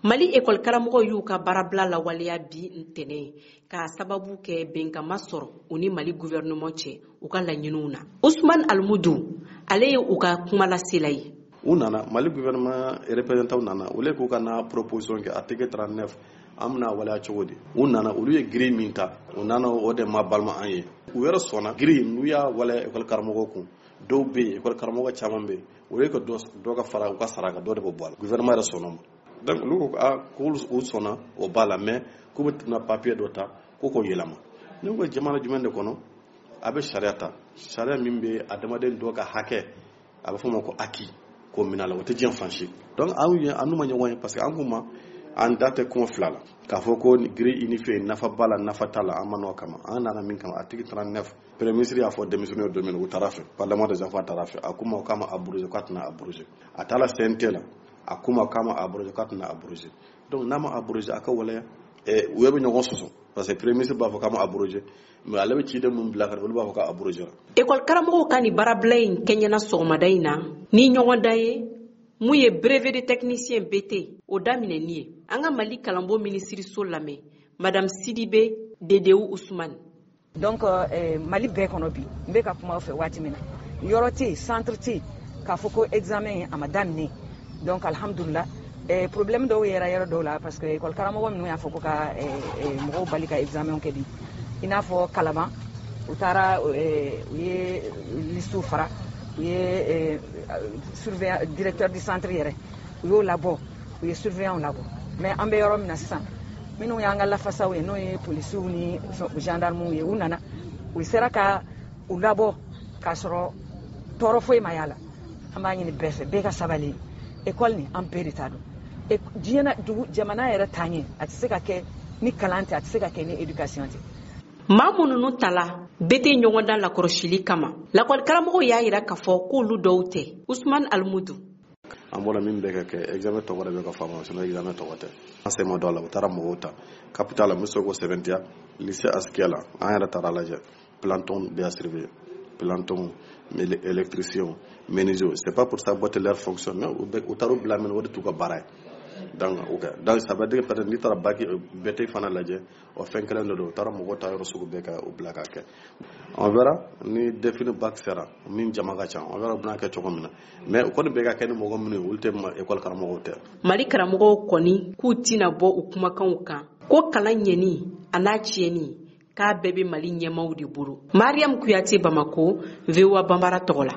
Mali ekɔli karamɔgɔw y'u ka baarabila lawaleya bi ntɛnɛn k'a sababu kɛ bɛnkan ma sɔrɔ u ni Mali gouvernement cɛ u ka laɲiniw na. Usman Almudu, ale ye u ka kumalasela ye. U nana, Mali gouvernement représentant nana, olu k'u ka na proposition kɛ article 39, an bɛna waleya cogo di? U nana, olu ye grille min ta, u nana, o de ma balima an ye. U yɛrɛ sɔnna grille n'u y'a waleya ekɔli karamɔgɔw kun. Dɔw bɛ yen, ekɔli karamɔgɔ caman bɛ yen, o ye ka dɔ ka fara u ka sara kan, dɔ de bɛ bɔ a la. Gouvernement yɛrɛ sɔnna o ma. Donc olu ko aa, k'olu u sɔnna o b'a la, mais k'u bɛ na papier dɔ ta ko k'o yɛlɛma. Ne ko jamana jumɛn de kɔnɔ a bɛ sariya ta, sariya min bɛ adamaden dɔ ka hakɛ, a bɛ fɔ o ma ko acquis, k'o minɛ a la? O tɛ diɲɛ fan si. Donc anw ye an n'u ma ɲɔgɔn ye, parce que an k'u ma an da tɛ kuma fila la k'a fɔ ko grille unifiée nafa b'a la, nafa t'a la. An ma n'o kama, an nana min kama, article 39. Premier ministre y'a fɔ denmisɛnninw ye don min na, u taara fɛ parlement des enfants taara fɛ, a k'u ma k'a ma abrogé, k'a tɛna abrogé. A taara CNT la, a k'u ma k'a ma abrogé, k'a tɛna abrogé. Donc n'a ma abrogé, a ka waleya. U yɛrɛ bɛ ɲɔgɔn sɔsɔ, parce que premier ministre b'a fɔ k'a ma abrogé, mais ale bɛ ciden mun bila ka na, olu b'a fɔ k'a abrogé la. Ekɔli karamɔgɔw ka nin baarabila in kɛɲɛna sɔgɔmada in na ni ɲɔgɔndan ye mun ye brevet de technicien BT o daminɛni ye. An ka Mali kalanbo minisiriso lamɛn, Madame Sidibe Dedewu Usman. Donc Mali bɛɛ kɔnɔ bi, n bɛ ka kuma aw fɛ waati min na, yɔrɔ tɛ yen, centre tɛ yen k'a fɔ ko examen a ma daminɛ. Donc alhamdulillah, problème dɔw yɛrɛ yɔrɔ dɔw la, parce que école karamɔgɔ minnu y'a fɔ ko ka mɔgɔw bali ka examen kɛ bi, i n'a fɔ Kalaban, u taara, u ye liste fara, u ye surveillant, directeur du centre yɛrɛ, u y'o labɔ, u ye surveillant labɔ. Mais an bɛ yɔrɔ min na sisan, minnu y'an ka lafasaw ye, n'o ye polisiw ni gendarmew ye, u nana, u sera ka u labɔ k'a sɔrɔ tɔɔrɔ foyi ma y'a la. An b'a ɲini bɛɛ fɛ, bɛɛ ka sabali. École nin, an bɛɛ de ta don. Diɲɛ na dugu jamana yɛrɛ taa ɲɛ, a tɛ se ka kɛ ni kalan tɛ, a tɛ se ka kɛ ni éducation tɛ. Maa minnu tala BT ɲɔgɔndan lakɔlɔsili kama, lakɔli karamɔgɔw y'a yira k'a fɔ k'olu dɔw tɛ. Usman Almudu. An bɔra min bɛ ka kɛ, examen tɔgɔ de bɛ ka fɔ a ma, sinon examen tɔgɔ tɛ. An sen ma don a la. U taara mɔgɔw ta capital la, n bɛ se k'o sɛbɛntiya, lycée Askia la. An yɛrɛ taara lajɛ, planton bɛ a surveiller, planton, électricien, menuisier. C'est pas pour saboter leur fonction, mais u taara u bila min, o de t'u ka baara ye. Donc ok, donc ça veut dire que peut-être n'i taara bac BT fana lajɛ, o fɛn kelen de don. U taara mɔgɔw ta yɔrɔ sugu bɛɛ ka u bila k'a kɛ. On verra ni DEF ni bac sera min jama ka ca, on verra u bɛna kɛ cogo min na. Mais u kɔni bɛ ka kɛ ni mɔgɔ minnu ye, olu tɛ école karamɔgɔw tɛ. Mali karamɔgɔw kɔni k'u tɛna bɔ u kumakanw kan ko kalan ɲɛni a n'a tiɲɛni, k'a bɛɛ bɛ Mali ɲɛmaw de bolo. Mariam Kuyate, Bamako, VOA Banbara tɔgɔ la.